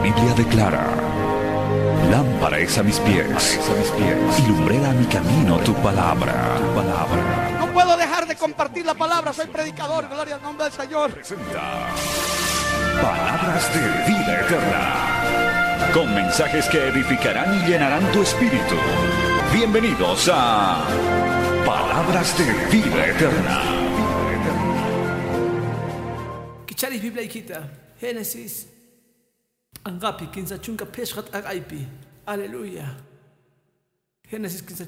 Biblia declara: lámpara es a mis pies, y lumbrera a mi camino tu palabra. Tu palabra. No puedo dejar de compartir la palabra, soy predicador, gloria al nombre del Señor. Presenta Palabras de Vida Eterna, con mensajes que edificarán y llenarán tu espíritu. Bienvenidos a Palabras de Vida Eterna. Kicharis Biblia ikita, Génesis Angapi, 15 agaipi. Aleluya. Génesis 15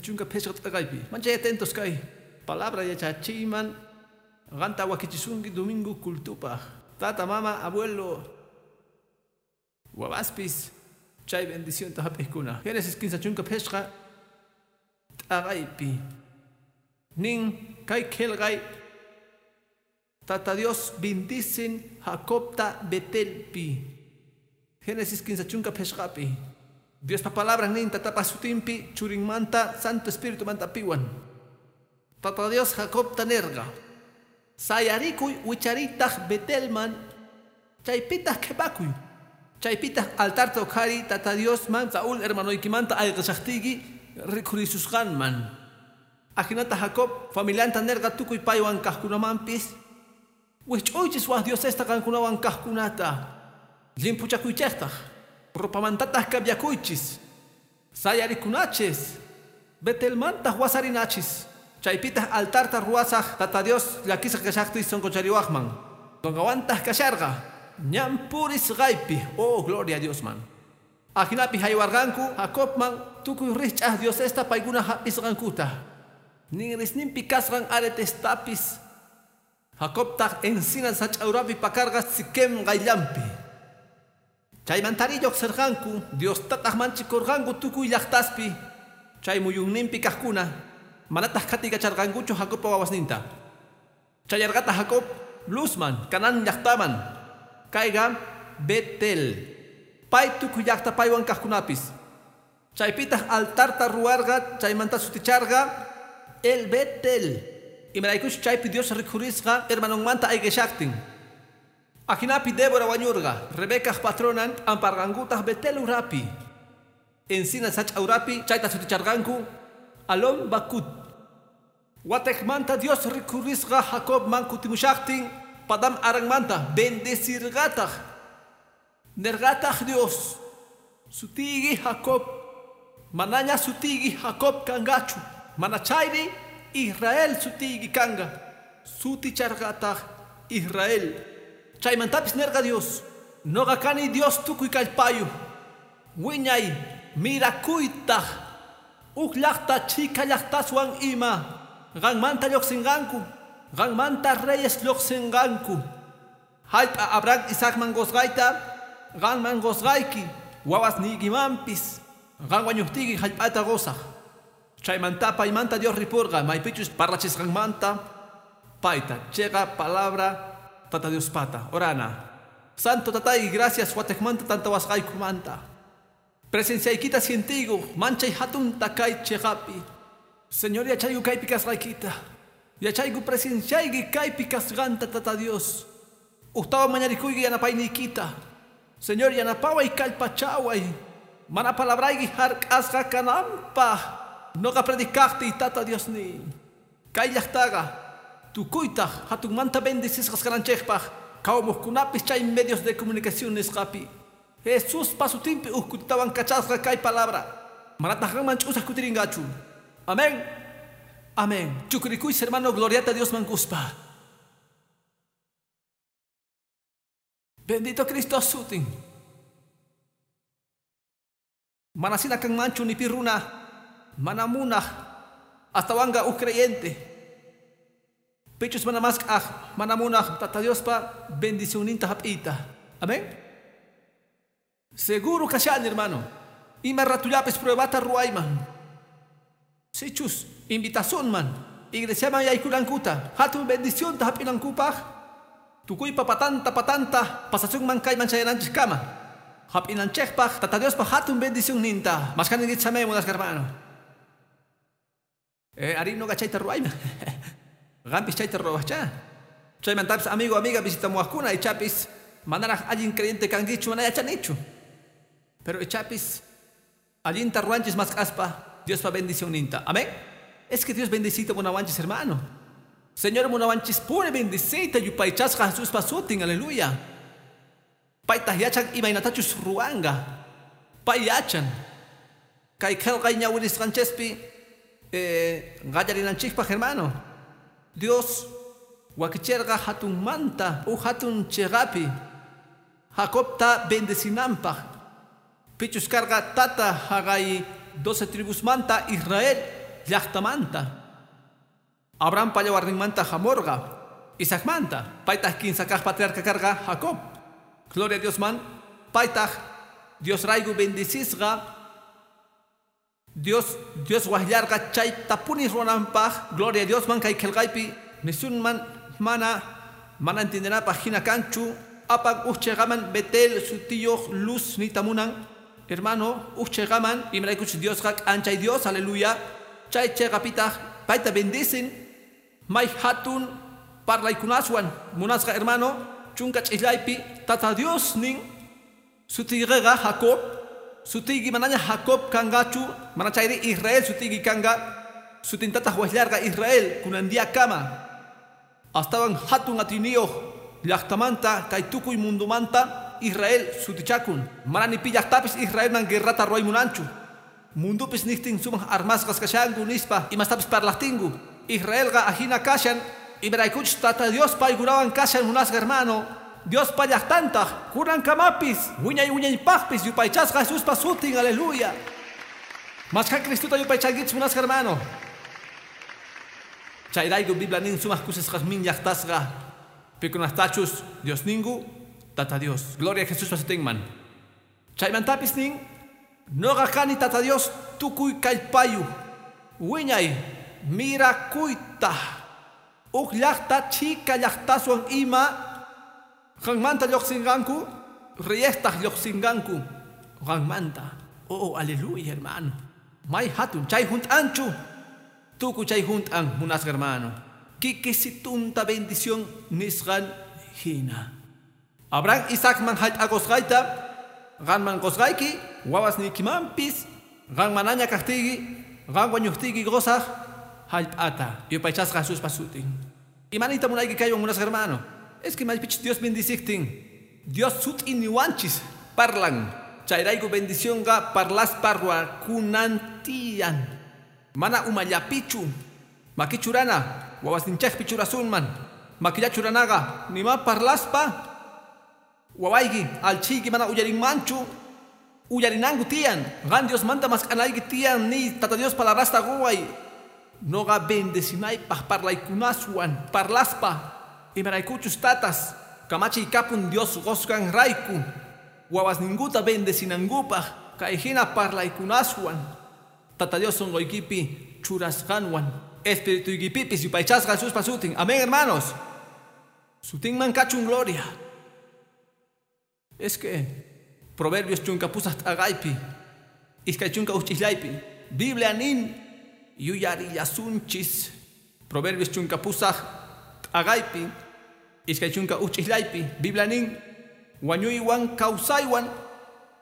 agaipi. Manchay atentos kay. Palabra yachachiman. Ganta wakichisungi domingo kultupa. Tata, mama, abuelo. Wawaspis. Chay bendición tahapikuna. Génesis 15 agaipi. Nin kay kelgay. Tata Dios bendicen Jacobta Betelpi. Génesis 15 pesqapi. Dios pa palabra nin tatapa sutimpi churinmanta Santo Espíritu manta piwan. Tata Dios Jacobta nerga. Sayarikuy wicharitaq Betelman chaypitaq qhipakuy. Chaypitaq altarta uqhari Tata Dios man Saúl hermanoykimanta ayqishaqtiyki rikhurisusqanman. Ajinata Jacob familianta nerga tukuy paywan kaqkunamanpis wich'uychis waj diosesta qankunawan kaqkunata. Limpuchakuychejtaq, ropamantataq cambiakuychis, sayarikunachis, Betelmantaq wasarinachis, chaypitaq altarta ruwasaq Tata Dios llakisqa kashaqtiy sunquchariwaqman. Qanqawantaq kasharqa, ñan purisqaypi, oh gloria a Diosman. Ajinapi haywarqanku Jacobman tukuy rikch'aq diosesta paykuna hap'isqankuta. Ninrisninpi kasqan aretestapis Jacobtaq encina sach'awrapi pakarqa Siquem qayllanpi. Chaymantari lluqsirqanku Diostataq manchikurqanku tukuy llaqtaspi chay muyunninpi kaqkuna manataq qhatikacharqankuchu Jacobpa wawasninta. Chayarqataq Jacob Luzman, Canaán llaqtaman, kayqa Betel. Pay tukuy llaqta paywan kaqkunapis. Chaypitaq altarta ruwarqa chaymanta suticharqa El Betel. Imaraykuch chaypi Dios rikhurisqa hermanonmanta ayqishaqtin. Ajinapi Débora wañurqa, Rebecaj patronan p'amparqankutaq Betel urapi. Encina sach'a urapi chayta suticharqanku Alon Bakut. Watejmanta Dios rikhurisqa Jacobman kutimushaqtin Padam Aranmanta bendecirqataq. Nerqataq Dios, sutiyki Jacob, manaña sutiyki Jacob kanqachu, manachayri Israel sutiyki kanqa. Suticharqataq Israel. Chaymantapis nerqa Dios, noqa kani Dios tukuy kallpayuq, wiñay mirakuytaq, uj llaqta chhika llaqtaswan ima, qanmanta lluqsinqanku, qanmanta reyes lluqsinqanku. Jallp'a Abraham Isaacman qusqayta, qanman qusqayki, wawasniykimanpis, qan wañuqtiyki jallp'ata qusaq. Chaymanta paymanta Dios ripurqa, maypichus parlachisqanmanta payta, chiqa palabra Tata Dios pata, orana. Santo Tatay, gracias watejmanta tantawasqaykumanta. Presenciaykita sientigu, manchay hatunta kay chiqapi. Señor, yachayku kaypi kasqaykita. Yachayku presenciayki kaypi kasqanta, Tata Dios. Ujtawan mañarikuyki yanapayniykita. Señor, yanapaway kallpachaway. Mana palabrayki hark'asqa kananpaq. Noqa predicaqtiy, Tata Dios ni. Kay llaqtaqa tukuytaq hatunmanta bendecisqas kananchikpaq qhawamuqkunapis chay medios de comunicación nisqapi. Jesús pasutinpi uj kutitawan kachasqa kay palabra. Manataq qanman ch'usaq kutirinqachu. Amén. Amén. Chukrikuychis, hermano, gloriata Dios man quspa. Bendito Cristo sutin. Manasina kanmanchu ni pi runa mana munaq astawanqa uj creyente. Pichus mana mask'aj mana munaq Tata Diospa bendicionninta hap'iyta. Amén. Seguro kashani, hermano. Ima ratullapis pruebata ruwayman. Sichus invitasunman iglesiaman yaykunankuta hatun bendicionta hap'inankupaq tukuypa patanta patanta pasasunman kayman chayananchikkama. Hap'inanchikpaq Tata Diospa hatun bendicionninta. Maskhaninkichis amén munasqa hermano. Arí noqa chayta ruwayman. Qampis chayta ruwawaqchá. Chaymantapis amigo, amiga visitamuwaqkuna ichapis manaraq allin creyente kankichu mana yachanichu. Pero ichapis allinta ruwanchis mask'aspa Diospa bendicionninta. Amén. Es que Dios bendecita munawanchis, hermano. Señor munawanchispuni bendecita yupaychasqa Jesuspa sutin, aleluya. Paytaq yachan imaynatachus ruwanga. Pay yachan. Kay qillqay ñawirisqanchispi qallarinanchikpaq, hermano. Dios wakichirqa hatunmanta uj hatun chiqapi Jacobta bendecinanpaq. Pichus karqa tata haqay 12 tribusmanta Israel llaqtamanta. Abrahampa yawarninmanta hamurqa Isaacmanta. Paytaq kinsa kaq patriarca karqa Jacob. Gloria a Dios man. Paytaq Dios rayku bendecisqa. Dios Dios waqllarqa chaytapuni ruwananpaq. Gloria a Dios man kay qillqaypi nisunman mana mana entiendenapaq hina kanchu. Apan uj chiqaman Betel sutiyuq luz niyta munan. Hermano, uj chiqaman imaraykuchus Diosqa k'anchay Dios, aleluya. Chay chiqapitaq payta bendicen. May hatun parlaykunaswan munasqa hermano chunka ch'illaypi tata Dios nin sutiyqiqa Jacob, sutiyki manaña Jacob kanqachu, mana chayri Israel sutiyki kanqa, sutintataq waqllarqa Israel kunan kama. Astawan hatun atiyniyuq llaqtamanta kay tukuy mundumanta Israel sutichakun. Mana ni pi llaqtapis Israelman guerrata ruwaymunanchu. Mundupis niqtin sumaq armasqas kashanku nispa imastapis parlaqtinku. Israelqa ajina kashan imaraykuchus tata Dios paykunawan kashan munasqa hermano. Diospa llaqtantaq kunankamapis wiñay wiñaypaqpis yupaychasqa Jesuspa sutin, aleluya. Mashkha Cristuta yupaychankichis munasqa hermano. Chayrayku Biblia nin sumaq kusisqasmin llaqtasqa pikunastachus Dios ninku tata Dios. Gloria a Jesuspa sutinman. Chaymantapis nin noqa kani tata Dios tukuy kallpayu wiñay mirakuyta uj llaqta chhika llaqtaswan ima qanmanta lluqsinqanku reyestaq lluqsinqanku qanmanta. Oh, aleluya, hermano. May hatun chay hunt'anchu tukuy chay hunt'an munasqa hermano. Kikisitunta bendición nisqan hina. Abraham Isaacman hallp'aqusqayta qanman qusqayki wawasniykimanpis qan manaña kaqtiyki qan wañuqtiyki qusaq hallp'ata yupaychasqa Jesuspa sutin. Imaniyta munayki kaywan munasqa hermano. Es que maypichus Dios bendiciktin Dios sut'iniwanchis parlan. Chayrayku bendicionqa parlaspa ruwakunan tiyan. Mana umallapichu maki churana wawasninchikpi churasunman. Makilla churanaqa nima parlaspa wawayki alchiyki mana uyarinmanchu uyarinanku tiyan. Qan Diosmanta mask'anayki tiyan ni tata Dios palabrasta quway. Noqa bendecinaypaq parlaykunaswan parlaspa imaraykuchus tatas kamachiy kapun Dios qusqan rayku wawasninkuta bendecinankupaq kay hina parlaykunaswan tata Dios sunquykipi churasqanwan espirituykipipis yupaychasqa Jesuspa sutin. Amén, hermanos. Sutinman kachun gloria. Es que Proverbios chunka pusaq t'aqaypi iskay chunka uch'illaypi Biblia nin yuyarillasunchis. Proverbios chunka pusaq t'aqaypi iskay chunka uch'illaypi Biblia nin wañuywan kawsaywan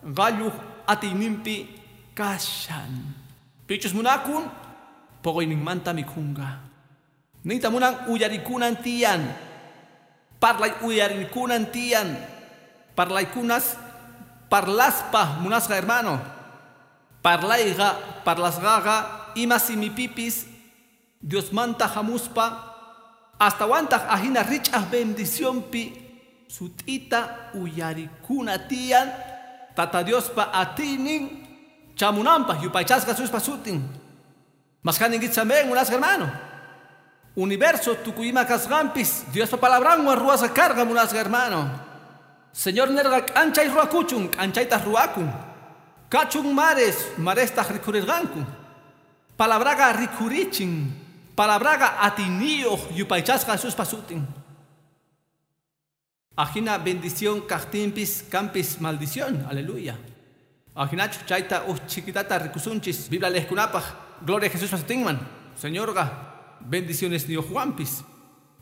qalluq atiyninpi kashan. Pichus munakun poqoyninmanta mikhunqa. Niyta munan uyarikunan tiyan. Parlay uyarikunan tiyan. Parlaykunas parlaspa munasqa hermano. Parlayqa parlasqaqa ima simipipis Diosmanta hamuspa astawantaq ajina rich'aq bendicionpi sut'ita uyarikuna tiyan tata Diospa atiynin chamunanpaq yupaychasqa Jesuspa sutin. Mashkhaninkichis amén munasqa hermano. Universo tukuy ima kasqanpis Diospa palabranwan ruwasqa karqa munasqa hermano. Señor nerqa k'anchay ruwakuchun k'anchaytaq ruwakun. Kachun mares marestaq rikhurirqanku. Palabraqa rikhurichin. Palabraqa atiyniyuq yupaychasqa Jesuspa sutin. Ajina bendición kaqtinpis kanpis maldición, aleluya. Ajinachu chayta uj chiquitata rikusunchis Biblia lejkunapaq. Gloria a Jesuspa sutinman. Señorqa bendiciones niyuqwanpis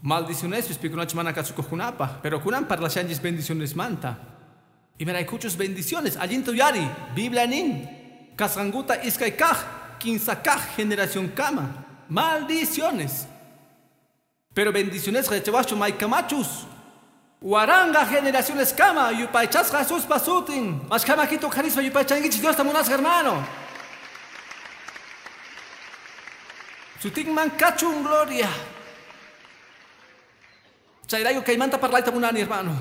maldicionespis pikunachus mana kasukuqkunapaq. Pero kunan parlashanchis bendicionesmanta. Imaraykuchus bendiciones allinta uyari Biblia nin kasqankuta iskay kaq kinsa kaq generación kama maldiciones. Pero bendiciones yachawaschu maykamachus waranga generaciones kama yupaychasqa Jesuspa sutin mashkamakito karispa yupaychankichik Diosta munasqa hermano. Sutinman kachun gloria. Chayrayku kaymanta parlayta munani hermano.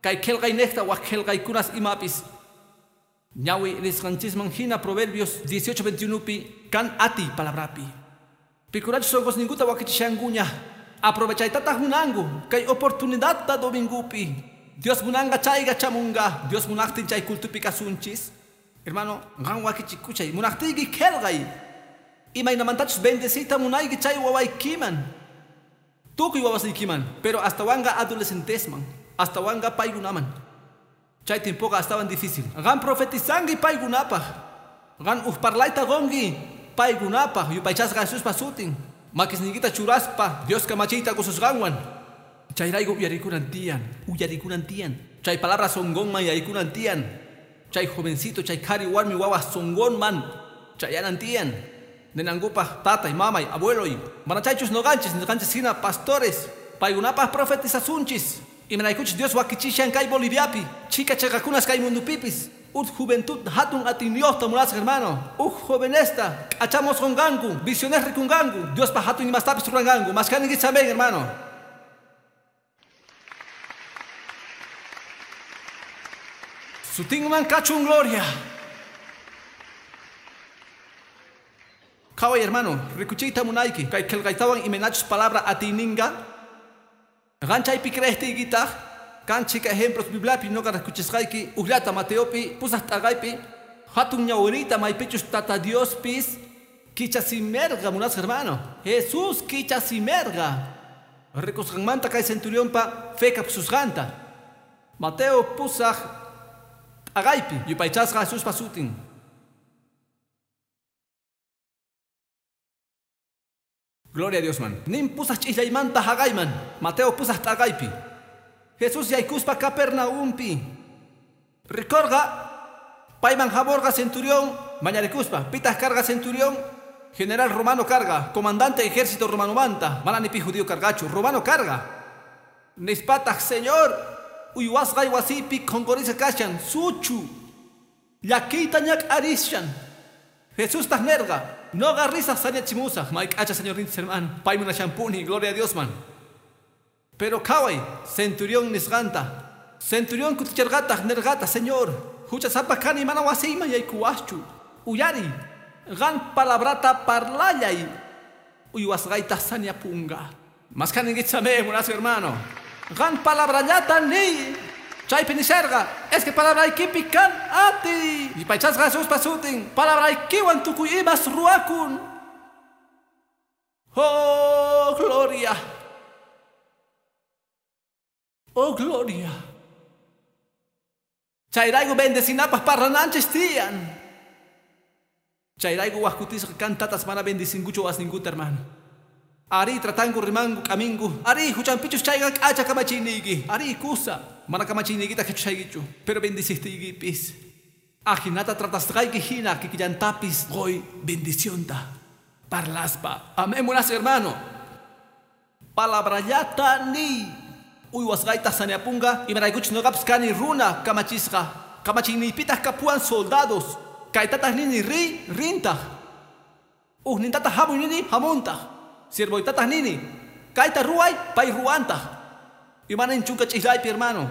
Kay qillqaynejta wak qillqaykunas imapis. Ñawi nisqanchisman hina Proverbios 18:21pi kan ati palabrapi. Pikurachus sunqusninkuta wakichishankuña. Aprovechaytataq munanku kay oportunidadta domingupi. Dios munanqa chayqa chamunqa. Dios munaqtin chay cultupi kasunchis. Hermano, qan wakichikuchay munaqtiyki qillqay. Imaynamantachus bendecita munayki chay wawaykiman. Tukuy wawasiykiman, pero hasta wanga adolescentesman, hasta wanga paykunaman. Chay tiempoqa astawan difícil. Qan profetizanki paykunapaq. Qan uj parlayta qunki paykunapaq yupaychasqa Jesuspa sutin. Makisniykita churaspa Dios kamachiyta qususqanwan. Chayrayku uyarikunan tiyan, uyarikunan tiyan. Chay palabra sunqunman yaykunan tiyan. Chay jovencito, chay qhari warmi wawa sunqunman chayanan tiyan. Ninankupaq tatay, mamay, abueloy. Mana chaychus noqanchis, noqanchis hina pastores. Paykunapaq profetizasunchis. Imaraykuchus Dios wakichishan kay Boliviapi. Chika chayqakunas kay mundupipis. Uj juventud hatun atiyniyuqta munasqa hermano. Uj jovenesta k'achamos qunqanku, visiones rikunqanku. Diospa hatun imastapis ruranqanku. Mashkaninkichis amén hermano. Sutinman kachun gloria. Qhaway hermano, rikuchiyta munayki kay qillqaytawan imaynachus palabra atiyninqa. Qan chaypi creejtiykitaq kan chika ejemplos Bibliapi noqa rikuchisqayki ujllata Mateopi pusaq t'aqaypi hatun ñawiriyta maypichus Tata Diospis kichasimerqa munasqa hermano. Jesús kichasimerqa. Rikusqanmanta kay centurionpa fe kapsusqanta. Mateo pusaq t'aqaypi yupaychasqa Jesuspa sutin. Gloria a Dios man. Nin pusaq ch'illaymanta haqayman. Mateo pusaq t'aqaypi. Jesús yaykuspa Capernaumpi. Rikorqa payman hamorqa centurión mañarikuspa. Pitaq karqa centurión general romano karqa, comandante ejército romanomanta. Mana ni pi judío karqachu, romano karqa. Nispataq Señor, uywasqay wasipi qhonqorisqa kashan, suchu. Llakiyta ñak'arishan. Jesustaq nerqa, noqa risaq sañachimusaq. May k'acha Señorninchis hermano, pay munashanpuni, gloria a Dios man. Pero qhaway, centurión nisqanta. Centurión kuticharqataq nerqata, Señor, huchasapa kani mana wasiyman yaykuwaschu. Uyari, qan palabrata parlallay. Uywasqayta sañapunqa. Mashkaninkichis amén, munasqa hermano. Qan palabrallata niy. Chaypi nisharqa, es que palabraykipi kan ati. Yupaychasqa Jesuspa sutin, palabraykiwan tukuy imas ruwakun. Oh, gloria. Oh, gloria. Chayrayku bendecinapaq parlananchis tiyan. Chayrayku wajkutisqa kan tatas mana bendicinkuchu wasninkuta hermano. Ari tratanku rimanku k'aminku. Ari huchanpichus chayqa k'acha kamachiyniyki. Ari kusa mana kamachiyniykita qhichushaykichu. Pero bendicistiykipis. Ajinata tratasqayki hina kikillantapis qoy bendicionta. Parlaspa. Amén, munasqa hermano. Palabrallata niy. Uywasqayta sañapunqa imaraykuchus noqapis kani runa kamachisqa. Kamachiyniypitaq kapuwan soldados. Kaytataq nini riy, rintaq. Ujnintataq hamuy nini, hamuntaq. Siervoytataq nini, kayta ruway, pay ruwantaq. Imanin chunka ch'illaypi hermano.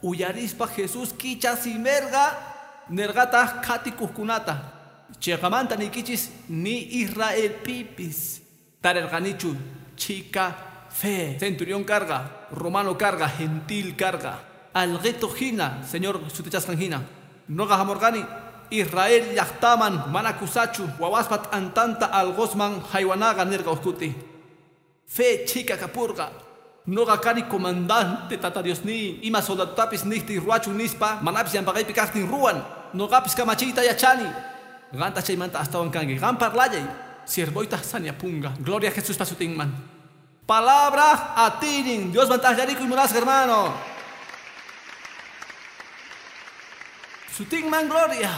Uyarispa Jesús kichasimerqa nerqataq qhatikuqkunata. Chiqamanta niykichis ni Israelpipis tarirqanichu chika fe. Centurión karqa, romano karqa, gentil karqa. Alqito hina, Señor sutichasqan hina. Noqa hamurqani Israel llaqtaman mana kusachu wawaspa t'antanta alqosman haywanaqa nirqa uqkuti. Fe chika kapurqa. Noqa kani comandante Tata Diosniy. Ima soldadotapis niqtiy ruwachun nispa manapis llampaqaypi kaqtin ruwan. Noqapis kamachiyta yachani. Qanta chaymanta astawan kanki. Qan parlallay. Siervoytaq sañapunqa. Gloria a Jesuspa sutinman. Palabra atinin. Diosman taqllarikuy munasqa hermano. Sutinman gloria.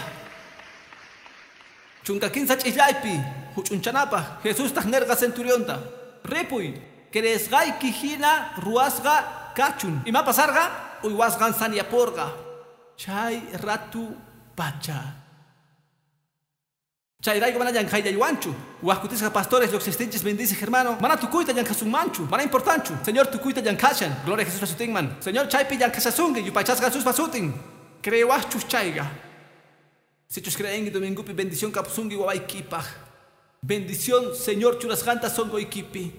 Chunka kinsa ch'illaypi huch'unchanapaq Jesustaq nerqa centurionta. Ripuy, creesqayki hina ruwasqa kachun. Ima pasarqa? Uywasqan saniapurqa. Chay ratu pacha. Chayrayku mana llank'ayllaywanchu. Wajkutisqa pastores lluqsistinchis bendice hermano. Mana tukuyta llank'asunmanchu. Mana importanchu. Señor tukuyta llank'ashan. Gloria a Jesús sutinman. Señor chaypi llank'ashasunki yupaychasqa Jesuspa sutin. Creewaqchus chayqa. Sichus creenki domingupi bendición kapusunki wawaykipaq. Bendición Señor churasqanta sonqoykipi.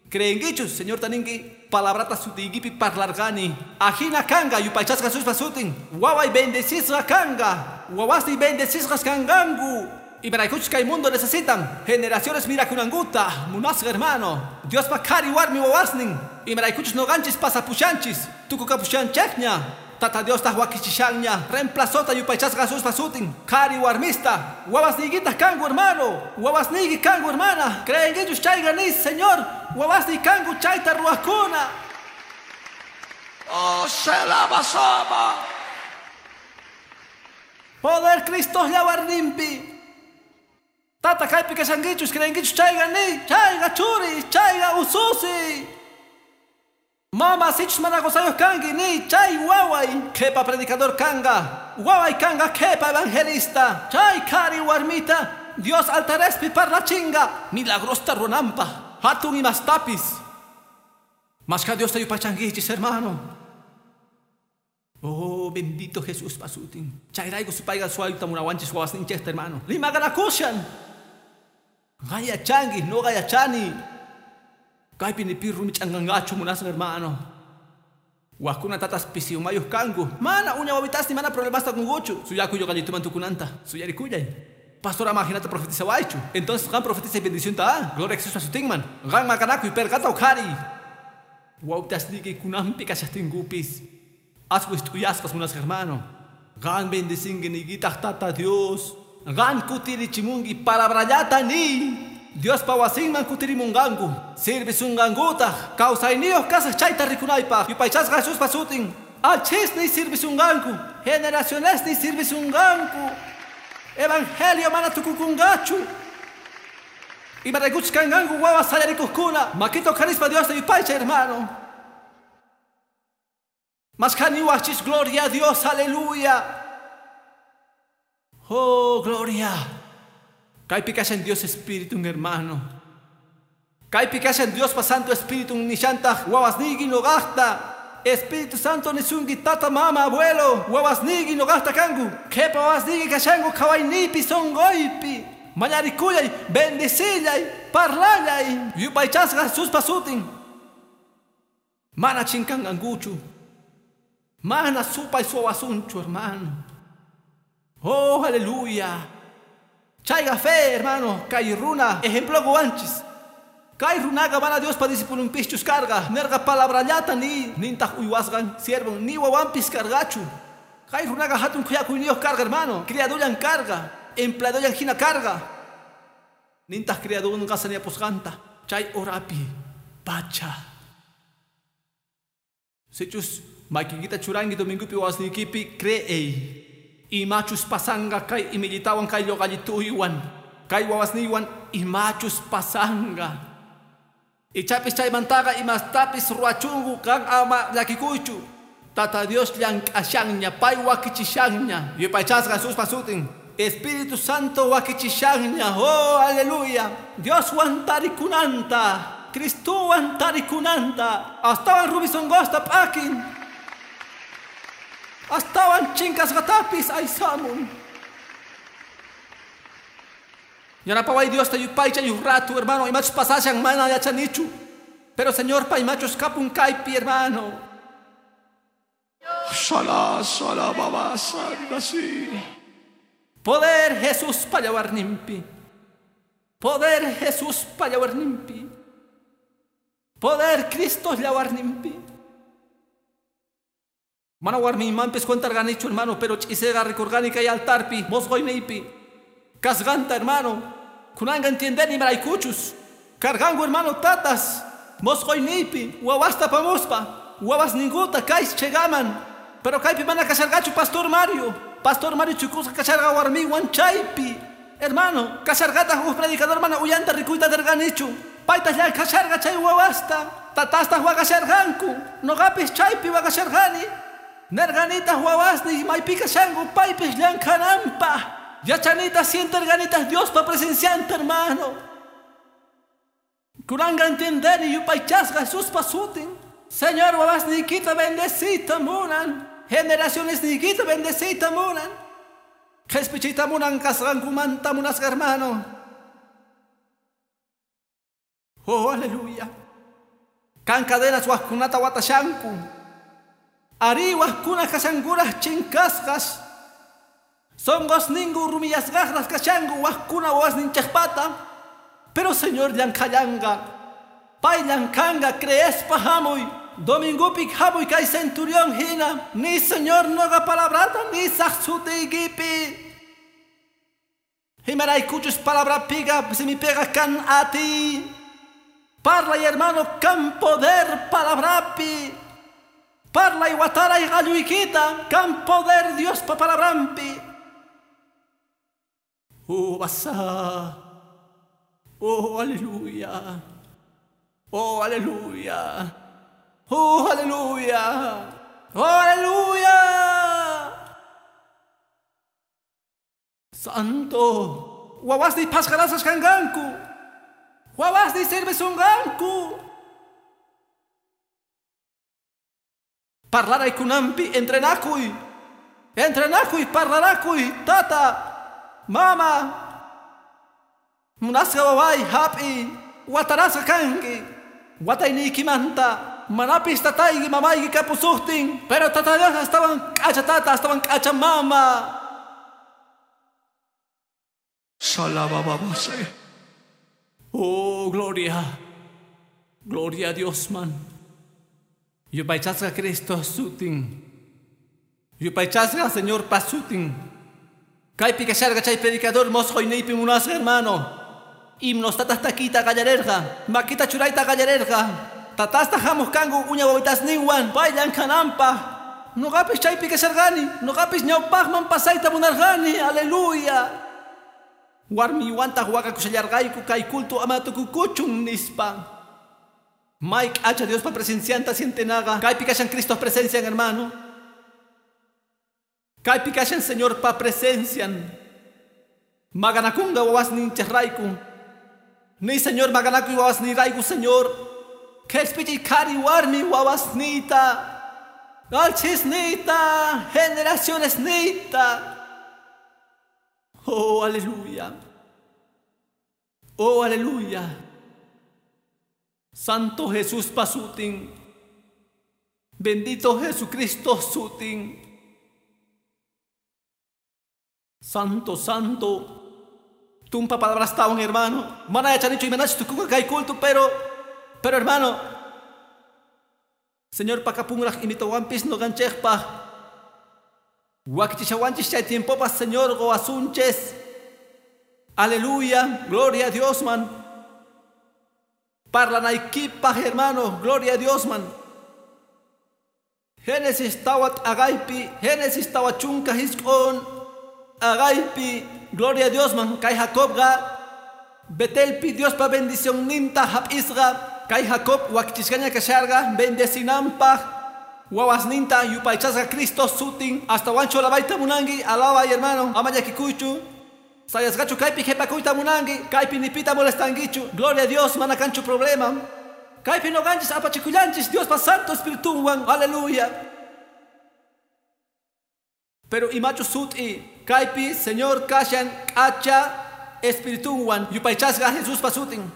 Creenkichus Señor taninki palabrata sutiykipi parlarqani. Ajina kanqa yupaychasqa Jesuspa sutin. Waway bendecisqa kanqa. Wawasniy bendecisqas kanqanku. Imaraykuchus kay mundo necesitan generaciones mirakunankuta munasqa hermano. Diospa qhari warmi wawasnin. Imaraykuchus noqanchis pasapushanchis tukukapushanchikña. Tata Diostaq wakichishanña reemplazota yupaychasqa Jesuspa sutin. Qhari warmista wawasniykitaq kanku hermano. Wawasniyki kanku hermana. Creenkichus chayqa nis Señor. Wawasniy kanku chayta ruwaqkuna. Oh, se la basaba. Poder Cristo yawarninpi. Tata kaypi kashankichus creenkichus chayqa ni chayqa churi chayqa ususi. Mama sichus mana qusayuq kanki ni chay waway qhipa predicador kanqa waway kanqa qhipa evangelista chay qhari warmita Dios altarespi parlachinqa milagrosta ruwananpaq hatun imastapis. Mashka Diosta yupaychankichis hermano. Oh, bendito Jesús pasutin. Chayrayku supayqa suwayta munawanchis wawasninchikta hermano. Rimaqanakushan. Gayachanki, no gayachani. Kaypi ni pi rumi ch'anqanqachu munasqa hermano. Wajkuna tatas pisi umayuq kanku. Mana uña wawitasni mana problemasta kunkuchu. Suyakuy ñuqallituman tukunanta. Suyarikuyay. Pastor ama jinata profetizawaychu. Entonces qan profetiza bendición ta. Gloria a Jesús pasutinman. Qan maqanakuy perqata uqhariy. Wawitasniyki kunanpi kashaqtinkupis. Aswis t'uyasqas munasqa hermano. Qan bendicinki niykitaq Tata Dios. Qan kutirichimunki palabrallata niy. Diospa wasinman kutirimunqanku. Sirvisunqankutaq. Kawsayniyuq kasaq chayta rikunaypaq. Yupaychasqa Jesuspa sutin. Alchisniy sirvisunqanku. Generacionesniy sirvisunqanku. Evangelio mana tukukunqachu. Imaraykuchus kanqanku wawas sayarikuqkuna. Makita uqharispa Diosta yupaychay hermano. Mashkhaniwaqchis gloria a Dios, aleluya. Oh, gloria. Kaypi kashan Dios Espíritu, hermano. Kaypi kashan Diospa Santo Espíritu nishantaq wawasniyki noqaqta. Espíritu Santo nisunki tata, mama, abuelo. Wawasniyki noqaqta kanku. Qhipa wawasniyki kashanku qhawayniypi sonqoypi. Mañarikuyay, bendecillay, parlallay. Yupaychasqa Jesuspa sutin. Mana chinkanqankuchu. Mana supay suwasunchu, hermano. Oh, aleluya. Chayqa fe, hermano. Kay runa, ejemplo guanchis. Kay runaqa mana Diospa discipulunpischus karqa. Nerqa palabrallata ni nintaq uywasqan siervon ni wawanpis karqachu. Kay runaqa hatun khuyakuyniyuq karqa, hermano. Criadullan karqa. Empleadollan hina karqa. Nintaq criadunqa saniapusqanta. Chay horapi pacha. Sichus makiykita churanki domingupi wawasniykipi creey. Imachus pasanqa kay imillitawan kay lluqallituywan kay wawasniywan imachus pasanqa. Ichapis chaymantaqa imastapis ruwachunku qan ama llakikuychu. Tata Dios llank'ashanña pay wakichishanña. Yupaychasqa Jesuspa sutin. Espíritu Santo wakichishanña. Oh, aleluya. Dioswan tarikunanta. Cristowan tarikunanta. Astawan rumi sonqosta p'akin. Astawan chinkasqatapis aysamun. Yanapaway Diosta yupaychay uj rato, hermano. Imachus pasashan mana yachanichu. Pero Señor pa imachus kapun kaypi, hermano. Sala, sala, baba, sala, Poder Jesús pa yawarninpi. Poder Jesús pa yawarninpi. Poder Cristo yawarninpi. Mana warmiymanpis cuentarqanichu, hermano, pero ch'isiyqa rikurqani kay altarpi, mosqoyniypi. Kasqanta, hermano. Kunanqa entiendeni imaraykuchus. Karqanku, hermano, tatas. Mosqoyniypi, wawasta apamuspa. Wawasninkuta kay chegaman. Pero kaypi mana kasharqachu Pastor Mario. Pastor Mario chukusqa kasharqa warmiwan chaypi. Hermano, kasharqataq huk predicador mana uyanta rikuyta atirqanichu. Paytaq llank'asharqa chay wawasta. Tatastaq waqasharqanku. Noqapis chaypi waqasharqani. Nerqanitaq wawasniy maypi kashanku paypis llank'ananpaq. Yachanitaq sienterqanitaq Diospa presencianta, hermano. Kunanqa entiendeni yupaychasqa Jesuspa sutin. Señor wawasniykita bendecita munan. Generaciones niykita bendecita munan. Qhispichiyta munan kasqankumanta munasqa, hermano. Oh, aleluya. Kan cadenas wajkunata watashanku. Ari wajkuna kashankuraj chinkasqas. Sonqosninku rumiyasqaqraq kashanku wajkuna wawasninchikpata. Pero Señor llank'allanqa. Pay llank'anqa creespa hamuy. Domingupi hamuy kay centurión hina. Ni Señor noqa palabrata nisaq sutiykipi. Imaraykuchus palabrapiqa simipiqa kan atiy. Parlay, hermano, kan poder palabrapi. Parlay wataray qalluykita, kan poder Diospa palabrampi. Oh, basa. Oh, aleluya. Oh, aleluya. Oh, aleluya. Oh, aleluya. Santo. Wawasniy phasqarasqas kanqanku. Wawasniy sirvisunqanku. Parlaray kunanpi entrenakuy. Entrenakuy, parlarakuy, tata, mama. Munasqa waway hap'i, watarasqa kanki. Watayniykimanta, manapis tatayki mamayki kapusuqtin, pero tata Dios astawan k'acha tata, astawan k'acha mama. Salabababase. Oh, gloria. Gloria a Dios, man. Yupaychasqa Cristo sutin. Yupaychasqa Señor pasutin. Kaypi kasharqa chay predicador mosqoyniypi munasqa, hermano. Himnos tatas takiyta qallarerqa, makita churayta qallarerqa. Tatasta hamuq kanku uña wawitasninwan pay llank'ananpaq. Noqapis chaypi kasharqani, noqapis ñawpaqman pasayta munarqani, aleluya. Warmiwantaq waqakushallarqayku kay culto ama tukukuchun nispa. Mike hacha Diospa presencianta sientenaqa. Kaypi kashan Cristo presencian, hermano. Kaypi kashan Señor pa presencian. Maganakunga wawasninchejrayku. Ni Señor maganakuy wawasnirayku, Señor. Qhispichiy qhari warmi wawasniyta. Alchisniyta, generaciones niyta. Oh, aleluya. Oh, aleluya. Santo Jesús pasutin. Bendito Jesucristo sutin. Santo, santo. Tumpa palabras tawan, hermano. Mana yachanichu imanachus tukunqa kay culto, pero hermano, Señor pakapunraj imitawanpis noqanchikpaq. Wakichishawanchis chay tiempopas, Señor, goasunches. Aleluya, gloria a Dios, man. Parlanaykipaq, hermano, gloria a Dios, man. Génesis tawat agaypi, Génesis tawachunka hisk'on agaypi, gloria a Dios, man. Kay Jacobqa Betelpi Diospa bendición ninta hap'isqa. Kay Jacob wakichisqaña kasharqa bendecinanpaq. Wawasninta yupaychasqa Cristo sutin. Hasta wanchu alabayta munanki, alabay, hermano. Ama llakikuychu. Sayasqachu kaypi qhipakuyta munanki, kaypi nipita molestankichu. Gloria a Dios, mana kanchu problema. Kaypi noqanchis apachikullanchis Diospa Santo Espiritunwan. Aleluya. Pero imachu sut'i kaypi Señor kashan k'acha Espiritunwan yupaychasqa Jesuspa sutin.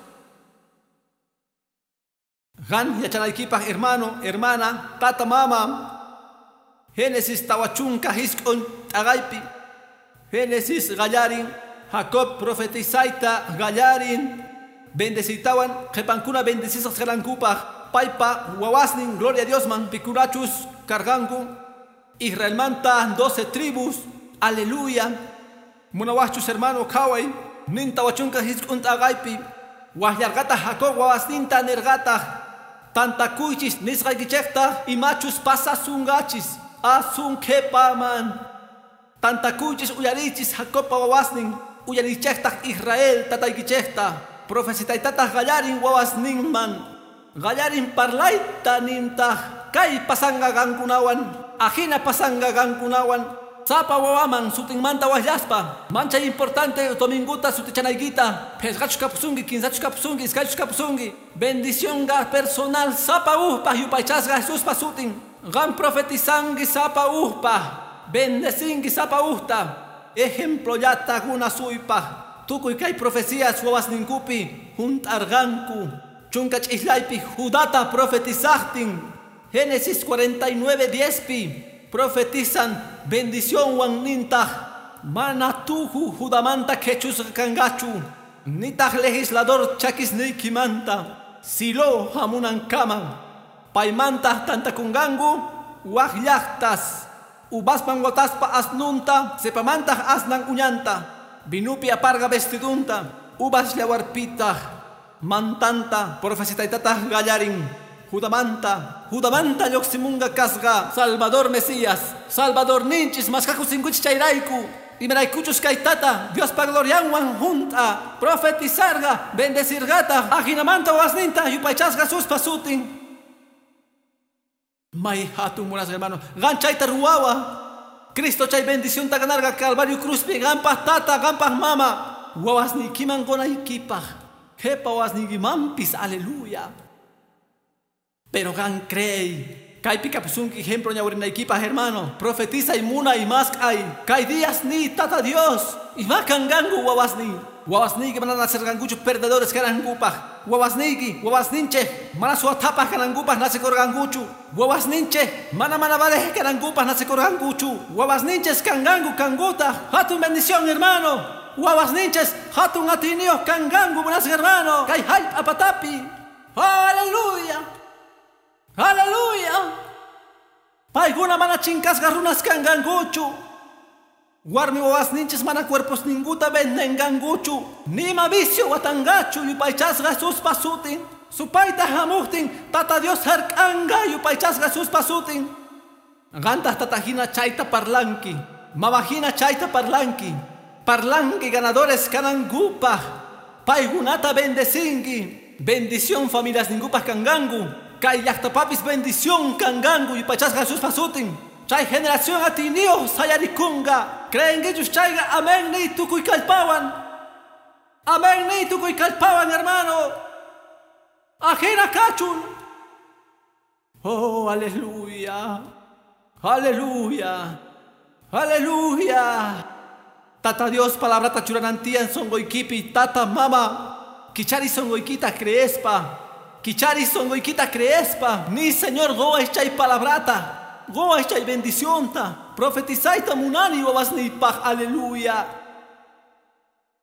Qan yachanaykipaq, hermano, hermana, tata, mama. Génesis tawachunka hisk'un t'aqaypi. Génesis qallarin, Jacob profetizayta qallarin, bendecitawan qhipankuna bendecisqas kanankupaq, paypa wawasnin, gloria a Dios, man, pikunachus karqanku. Israelmanta 12 tribus, aleluya. Munawaqchus, hermano, qhaway, nin tawachunka hisk'un t'aqaypi. Waqllarqataq Jacob wawasninta nirqataq, tantakuychis nisqaykichikta imachus pasasunqachis asun qhipaman. Tantakuychis uyariychis Jacobpa wawasnin, uyariychejtaj Israel tataykichejta. Profecitaytataj qallarin wawasninman. Qallarin parlayta nintaj kay pasanqa qankunawan, ajina pasanqa qankunawan. Sapa wawaman sutinmanta waqllaspa. Manchay importante dominguta sutichanaykita. Phisqachus kapusunki, kinsachus kapusunki, iskaychus kapusunki. Bendicionqa personal sapa ujpaj yupaychasqa Jesuspa sutin. Qan profetizanki sapa ujpaj. Bendecinki sapa ujta. Ejemplollata qunasuypaj. Tukuy kay profecías wawasninkupi junt'arqanku. Chunka ch'islaypi Judata profetizajtin. Génesis 49:10pi profetizan bendicionwan nintaj mana tuju Judamanta qhechusqa kanqachu nitaq legislador chakisniykimanta Silo hamunankaman paymantaq tantakunqanku waj llaqtas uvasman wataspa asnunta cepamantaq asnan uñanta vinupi aparqa vestidunta uvas llawarpitaq mantanta profecitaytataq qallarin Judamanta, Judamanta lluqsimunqa kasqa Salvador Mesías, Salvador ninchis maskakusinkuchis chayrayku, imaraykuchus kaytata Diospa glorianwan junt'a profetizarqa bendecirqataq ajinamanta wawasninta yupaychasqa Jesuspa sutin. May hatun munasqa hermano, qan chayta ruwawa. Cristo chay bendicionta ganarqa Calvario cruzpi qanpaq tata, qanpaq mama, wawasniykiman qunaykipaq, qhipa wawasniykimanpis, aleluya. Pero qan creey. Kaypi kapusunki ejemplo ñawirinaykipaq hermano. Profetiza y munay mask'ay. Kay días ni tata Dios. Ima kanqanku wawasniy. Wawasniyki mana nacerqankuchu perdedores kanankupaq. Wawasniyki, wawasninchej mana suwathapaq kanankupaq nacekurqankuchu. Wawasninchej mana mana valeq kanankupaq nacekurqankuchu. Wawasninchej kanqanku kankutaq. Hatun bendición hermano. Wawasninchej hatun atiyniyuq kanqanku munasqa hermano. Kay jallp'a patapi. Aleluya. Aleluya. Paykuna mana chinkasqa runas kanqankuchu. Warmi wawasninchis mana cuerposninkuta vendenqankuchu. Nima vicio watanqachu yupaychasqa Jesuspa sutin. Supayta hamuqtin Tata Dios hark'anqa yupaychasqa Jesuspa sutin. Qantaq tatahina chayta parlanki. Mamahina chayta parlanki. Parlanki ganadores kanankupaq. Paykunata bendecinki. Bendición familias ninkupaq kanqanku. Kay llaqtapapis bendición kanqanku yupaychasqa Jesuspa sutin. Chay generación atiyniyuq sayarikunqa. Creenkichus chayqa amén niy tukuy kallpawan. Amén niy tukuy kallpawan hermano. Ajina kachun. Oh, aleluya. Aleluya. Aleluya. Tata Dios palabrata churanan tiyan sonqoykipi tata mama. Kichari sonqoykita creespa. Kichari sonqoykita creespa. Ni Señor quway chay palabrata. Quway chay bendicionta. Profetizayta munani wawasniypaq. Aleluya.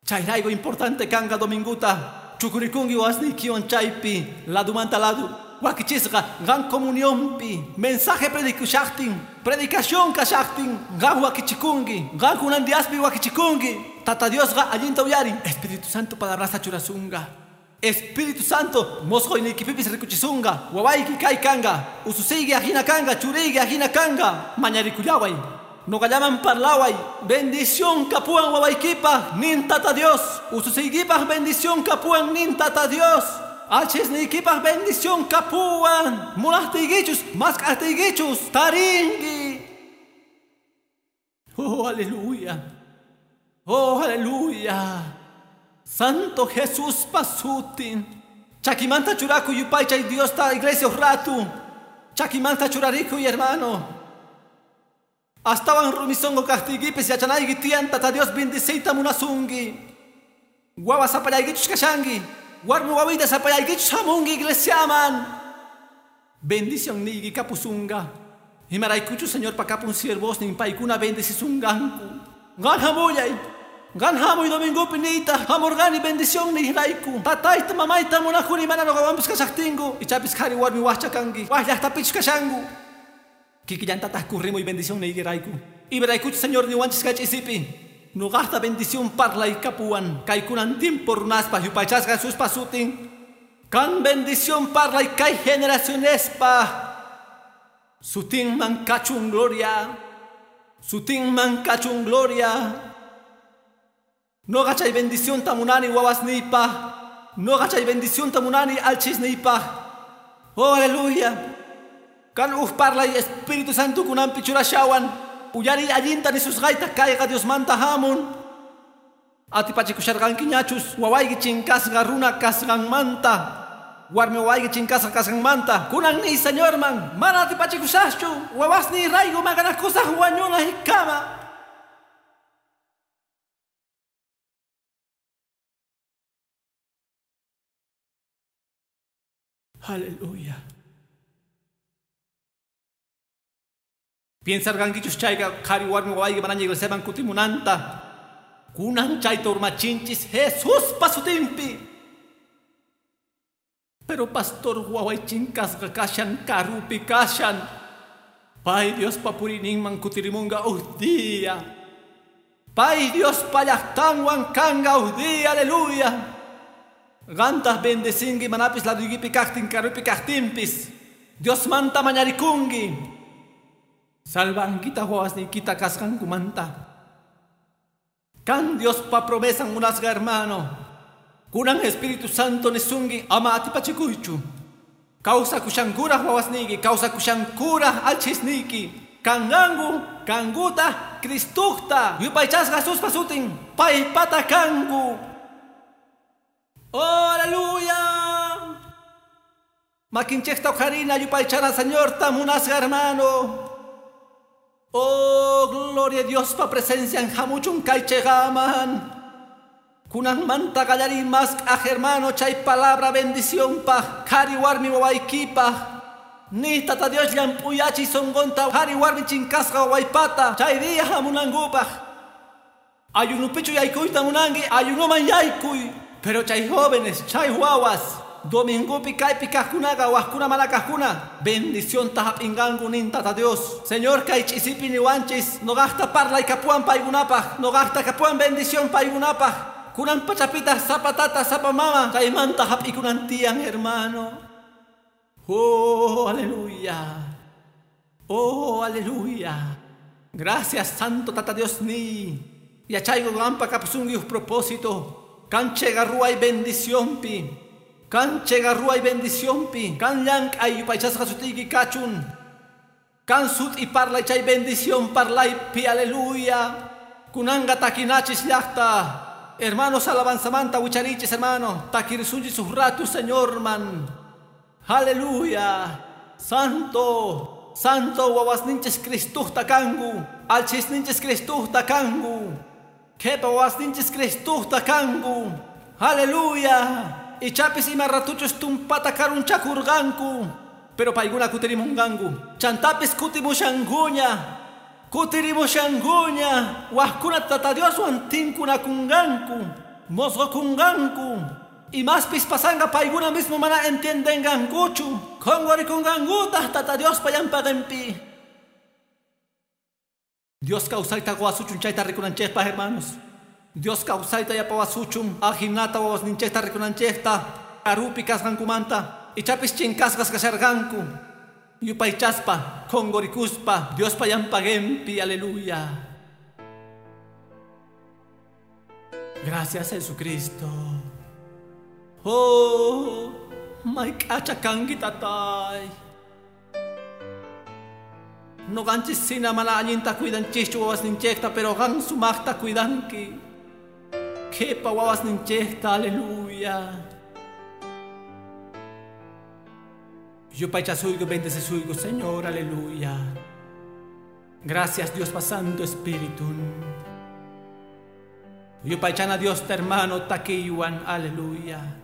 Chayrayku importante kanqa dominguta. Chukurikunki wawasniykiwan chaypi. Ladumanta ladu. Wakichisqa qan comunionpi. Mensaje predikushaqtin. Predicación kashaqtin. Qan wakichikunki. Qan kunan diaspi wakichikunki. Tata Diosqa allinta uyarin. Espíritu Santo palabrasta churasunqa. Espíritu Santo, mosqoyniykipipis rikuchisunqa, wawayki kay kanqa, ususiyki ajina kanqa, churiyki ajina kanqa, mañarikullaway, noqallaman parlaway, bendición kapuwan wawaykipaq nin Tata Dios, ususiykipaq bendición kapuwan nin Tata Dios, allchhisniykipaq bendición kapuwan, munaqtiykichus, mask'aqtiykichus, tarinki. Oh, aleluya. Oh, aleluya. Santo Jesús pasutin. Chakimanta churaku yupaychay Diosta iglesia ratu. Chakimanta churariku hermano. Astawan rumisongo kaqtiykipis yachanayki tiyan Tata Dios bendiciyta munasunki. Wawa sapallaykichus kashanki. Warmi wawita sapallaykichus hamunki iglesiaman. Bendición niyki kapusunqa. Imaraykuchus Señorpa kapun siervosnin paykuna bendecisunqanku. Qan hamullay. Qan hamuy domingupi niyta hamurqani bendición niyrayku. Tatayta mamayta munakuni mana nuqawanpis kashaqtinku. Ichapis qhari warmi waqcha kanki. Waq llaqtapichus kashanku. Kikillantataq kurrimuy bendición niykirayku. Imaraykuchus Señor niwanchis kay ch'isipi. Nuqaqta bendición parlay kapuwan. Kaykunan timpo runaspa yupaychasqa Jesuspa sutin. Kan bendición parlay kay generacionespa. Sutinman kachun gloria. Sutinman kachun gloria. Noqa chay bendición munani wawasniypaq. Noqa chay bendición munani alchisniypaq. Oh, aleluya. Kan uj parlay Espíritu Santo kunanpi churashawan. Uyari allinta nisusqayta kayqa Diosmanta hamun. Atipachikusharqanki ñachus wawayki chinkasqa runa kasqanmanta. Warmi wawayki chinkasqa kasqanmanta. Kunan ni Señorman mana atipachikusaqchu. Wawasniy rayku maqanakusaq wañunaykama. Aleluya. Piensarqankichus chayqa qhari warmi wawayki manaña iglesiaman kutimunanta. Kunan chayta urmachinchis Jesuspa sutinpi. Pero pastor waway chinkasqa kashan karupi kashan. Pay Diospa puriyninman kutirimunqa uj día. Pay Diospa llaqtanwan kanqa uj día, aleluya. Qantaq bendecinki manapis laduykipi kaqtin karupi kaqtinpis. Diosmanta mañarikunki. Salvankita wawasniykita kasqankumanta. Kan Diospa promesan munasqa hermano. Kunan Espíritu Santo nisunki ama atipachikuychu. Kawsakushankuraq wawasniyki, kawsakushankuraq alchisniyki. Kanqanku, kankuta, Cristuqta, yupaychasqa Jesuspa sutin, paypata kanku. Oh, aleluya. Makinchejta uqharina yupaychana Señorta munasqa hermano. Oh, gloria a Diospa presencia en hamuchun kaycheqaman. Kunanmanta qallariy mask'aj hermano chay palabra bendición paj qhari warmi wawaykipaj. Ni tata Dios llamp'uyachiy sunqunta qhari warmi chinkasqa wawaypata chay día hamunankupaj. Ayunupichu yaykuyta munanki ayunuman yaykuy. Pero chay jóvenes, chay wawas, domingupi kaypi kaqkunaqa wajkuna mana kaqkuna bendición hap'inqanku nin tata Dios. Señor kay ch'isipi niwanchis noqaqta parlaykapuwan paykunapaj, noqaqta kapuwan bendición paykunapaj. Kunan pachapita sapa tata, sapa mama, chaymanta hap'ikunan tiyan hermano. Oh, aleluya. Oh, aleluya. Gracias Santo Tata Dios ni. Yachayku qampa kapusunki uj propósito. Kan chega ruway bendicionpi. Kan chega ruway bendicionpi. Kan llank'ay yupaychasqa sutiyki kachun. Kan sut'i parlay chay bendición parlaypi, aleluya. Kunanqa takinachis llaqta. Hermanos alabanzamanta wicharichis hermano. Takirisunchis uj ratu Señorman. Aleluya. Santo, Santo wawasninchis Cristuqta kanku. Alchisninchis Cristuqta kanku. Qhipa wawasninchis Cristuqta kanku. Aleluya. Ichapis ima ratuchus tumpata karunchakurqanku. Pero paykuna kutirimunqanku. Chantapis kutimushankuña. Kutirimushankuña. Wajkuna tata Dioswan tinkunakunqanku. Mosqokunqanku. Imaspis pasanqa paykuna mismo mana entiendenqankuchu. Qhunqurikunqankutaq tata Diospa llampaqinpi. Dios kawsayta quwasuchun chayta rikunanchikpaq hermanos. Dios kawsayta yapawasuchun ajinata wawasninchikta rikunanchikta karupi kasqankumanta ichapis chinkasqas kasharqanku. Yupaychaspa qhunqurikuspa Diospa llampaqinpi, aleluya. Gracias Jesucristo. Oh, mayk'acha kanki tatay. Noqanchis sina mana allinta cuidanchischu wawasninchikta, pero qan sumaqta cuidanki. Qhipa wawasninchikta, aleluya. Yupaychasuyku, bendecesuyku, Señor, aleluya. Gracias Dios pa Santo Espíritu. Yupaychana Dios ta hermano takiywan, aleluya.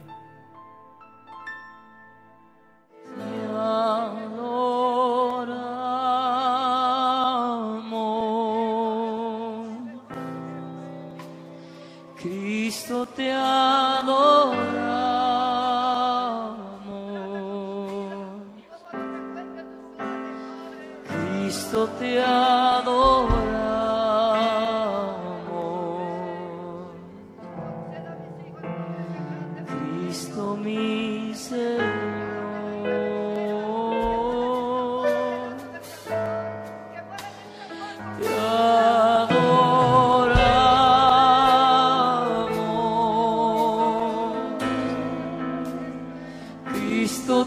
Cristo te adoramos. Cristo te adoramos. Cristo mi Señor. Te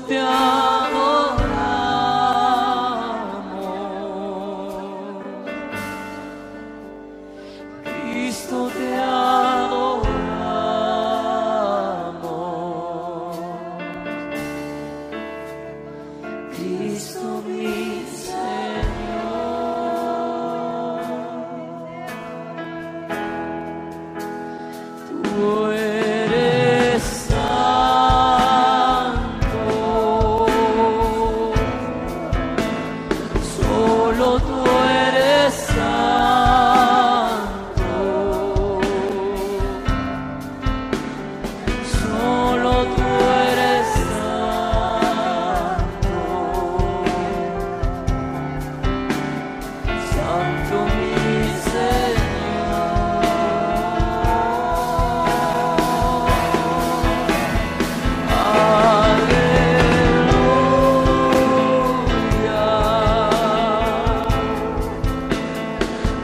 te adoramos. Cristo te adoramos. Cristo mi Señor. Tú eres santo, solo tú eres santo, solo tú eres santo, santo mi Señor. Aleluya,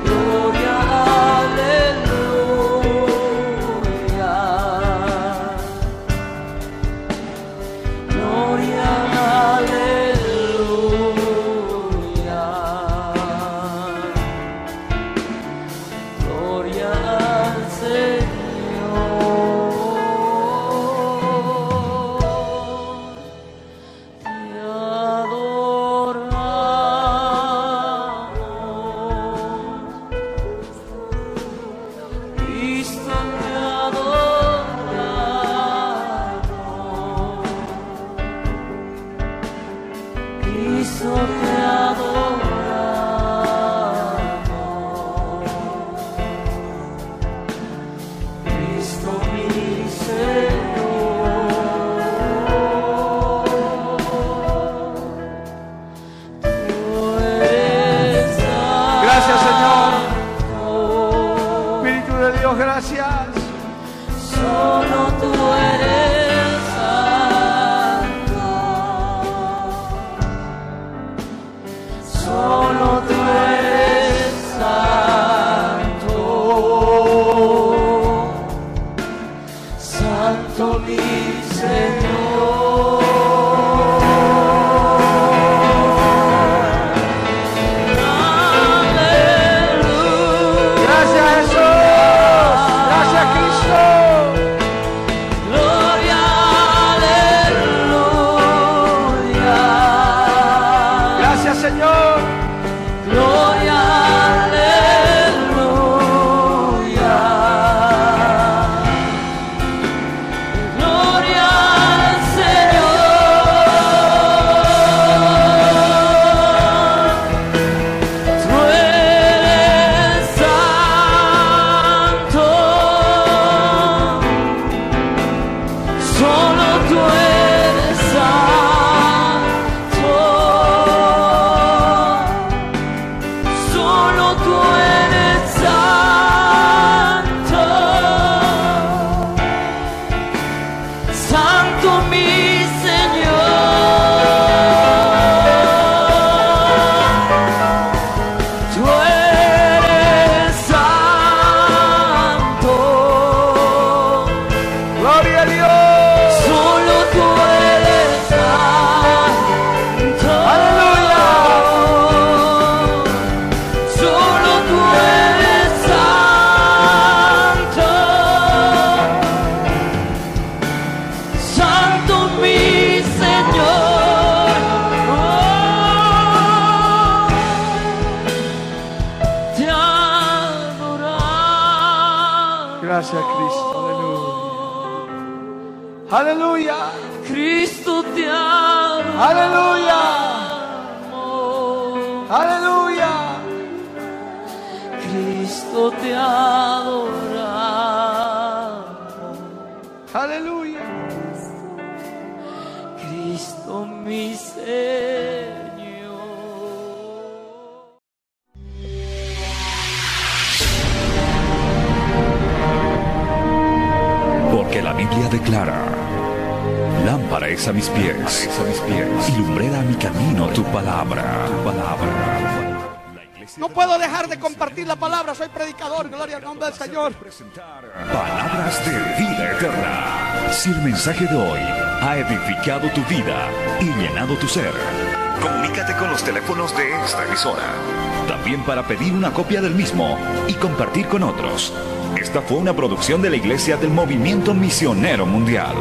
gloria, aleluya, gloria, aleluya, gloria al Señor. Te adoramos, Cristo te adoramos, Cristo te adoramos, Cristo mi Señor. Tú eres Gracias, Señor. santo. Espíritu de Dios, gracias. Solo tú eres santo. Solo tú eres santo. Santo mi Señor. Aleluya. Gracias, Jesús. Gracias, Cristo. Gloria, aleluya. Gracias, Señor. Gloria, aleluya. Gloria al Señor. Tú eres santo. Solo tú eres santo. Solo tú eres santo. Santo mi Señor. Tú eres santo. Gloria a Dios. Solo tú eres santo. Aleluya. Solo tú eres santo. Santo mi Señor. Oh, te adoramos. Gracias, Cristo. Aleluya. Aleluya. Cristo te adoramos. Aleluya. Aleluya. Cristo te adoramos. Aleluya. Cristo mi Señor. Porque la Biblia declara: lámpara es a mis pies, y lumbrera a mi camino tu palabra. Tu palabra. No puedo dejar de compartir la palabra. Soy predicador. Gloria al nombre del Señor. Palabras de vida eterna. Si el mensaje de hoy ha edificado tu vida y llenado tu ser. Comunícate con los teléfonos de esta emisora. También para pedir una copia del mismo y compartir con otros. Esta fue una producción de la Iglesia del Movimiento Misionero Mundial.